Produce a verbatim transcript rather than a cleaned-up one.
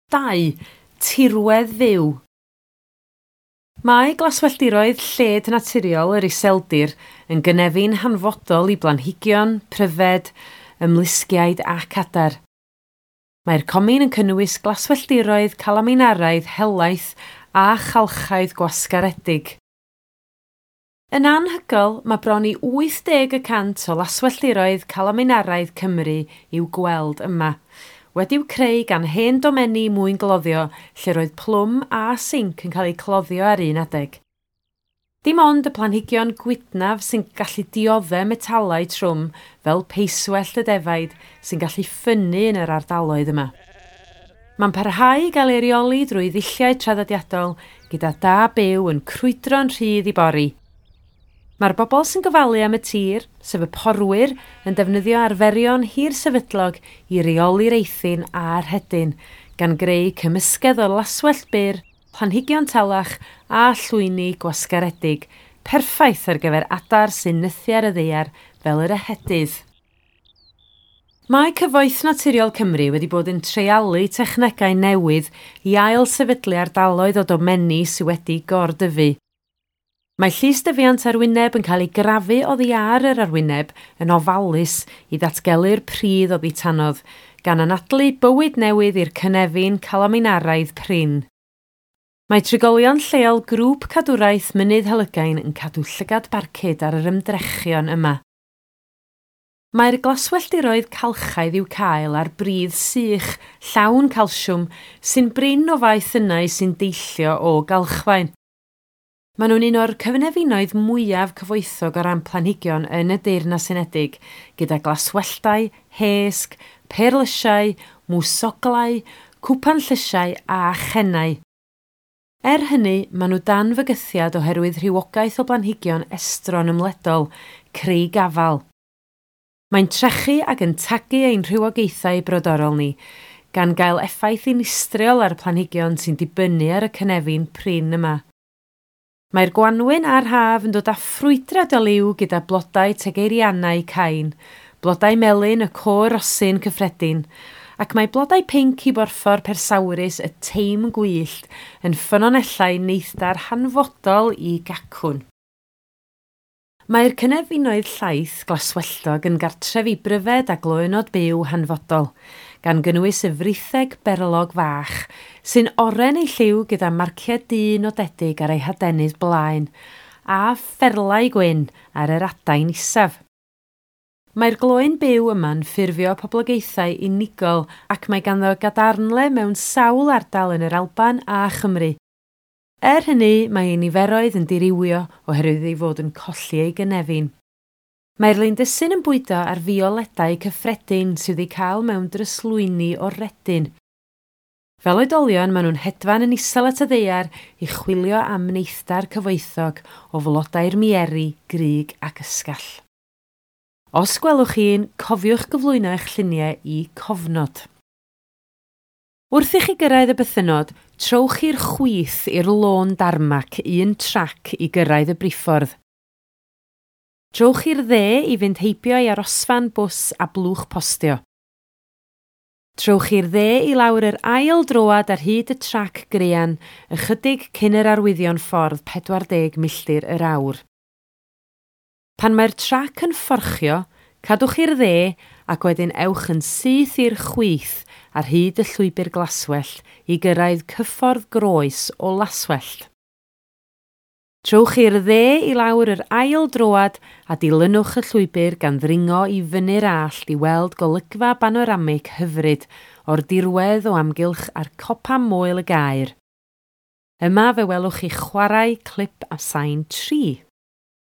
Dau. Tirwedd fyw. Mae glaswelltiroedd lled naturiol yr Iseldir yn gynefin hanfodol i blanhigion, pryfed, ymlusgiaid ac adar. Mae'r comin yn cynnwys glaswelltiroedd calaminaraidd helaeth a chalchaidd gwasgaredig. Yn anhygoel, mae bron i wyth deg y cant o laswelltiroedd calaminaraidd Cymru i'w gweld yma, wedi'w creu gan hen domenni mwyn gloddio lle roedd plwm a sinc yn cael eu cloddio ar un adeg. Dim ond y planhigion gwydnaf sy'n gallu dioddef metalau trwm fel peiswellt y defaid sy'n gallu ffynnu yn yr ardaloedd yma. Mae'n parhau i gael ei reoli drwy ddulliau traddodiadol gyda da byw yn crwydro'n rhydd i bori. Mae'r bobl sy'n gofalu am y tir, sef y porwyr, yn defnyddio arferion hir sefydlog i reoli'r eithin a'r rhedyn, gan greu cymysgedd o laswellt byr, planhigion talach a llwyni gwasgaredig, perffaith ar gyfer adar sy'n nythu ar y ddaear fel yr ehedydd. Mae Cyfoeth Naturiol Cymru wedi bod yn treialu technegau newydd i ail sefydlu ardaloedd o domenni sydd wedi gordyfu. Mae llysdyfiant arwyneb yn cael ei grafu oddi ar yr arwyneb yn ofalus i ddatgelu'r pridd oddi tanodd, gan anadlu bywyd newydd i'r cynefin calaminaraidd prin. Mae trigolion lleol grŵp cadwraeth Mynydd Helygain yn cadw llygad barcud ar yr ymdrechion yma. Mae'r glaswelltiroedd calchaidd i'w cael ar bridd sych, llawn calsiwm, sy'n brin o faethynnau sy'n deillio o galchfaen. Maen nhw'n un o'r cyfnefinoedd mwyaf cyfoethog o ran planhigion yn y Deyrnas Unedig, gyda glaswelltau, hesg, perlysiau, mwsoglau, cwpan llysiau a chennau. Er hynny, maen nhw dan fygythiad oherwydd rhywogaeth o blanhigion estron ymledol, creu gafal. Mae'n trechu ac yn tagu ein rhywogaethau brodorol ni, gan gael effaith dinistriol ar y planhigion sy'n dibynnu ar y cynefin prin yma. Mae'r gwanwyn a'r haf yn dod â ffrwydrad o liw gyda blodau tegeirianau cain, blodau melyn y côr rosyn cyffredin, ac mae blodau pinc i borffor persawrus y teim gwyllt yn ffynonellau neithdar hanfodol i gacwn. Mae'r cynefinoedd llaith glaswelltog yn gartref i bryfed a gloÿnnod byw hanfodol, gan gynnwys y fritheg berlog fach, sy'n oren ei lliw gyda marciau du nodedig ar ei hadenydd blaen, a pherlau gwyn ar yr adain isaf. Mae'r gloyn byw yma'n ffurfio poblogaethau unigol ac mae ganddo gadarnle mewn sawl ardal yn yr Alban a Chymru. Er hynny, mae ei niferoedd yn dirywio oherwydd ei fod yn colli ei gynefin. Mae'r lindysyn yn bwydo ar fioledau cyffredin sydd eu cael mewn dryslwyni o redyn. Fel oedolion, maen nhw'n hedfan yn isel at y ddaear i chwilio am neithdar cyfoethog o flodau'r mieri, grug ac ysgall. Os gwelwch un, cofiwch gyflwyno eich lluniau i cofnod. Wrth i chi gyrraedd y bythynnod, trowch i'r chwith i'r lôn darmac un trac i gyrraedd y briffordd. Trowch i'r dde i fynd heibio i arosfan bws a blwch postio. Trowch i'r dde i lawr yr ail droad ar hyd y trac grean, ychydig cyn yr arwyddion ffordd pedwar deg milltir yr awr. Pan mae'r trac yn fforchio, cadwch i'r dde ac wedyn ewch yn syth i'r chwith ar hyd y llwybr glaswellt i gyrraedd cyffordd groes o laswellt. Trowch i'r dde i lawr yr ail droad a dilynwch y llwybr gan ddringo i fyny'r allt i weld golygfa banoramig hyfryd o'r dirwedd o amgylch a'r copa moel y gaer. Yma fe welwch chi chwarae clip a sain tri.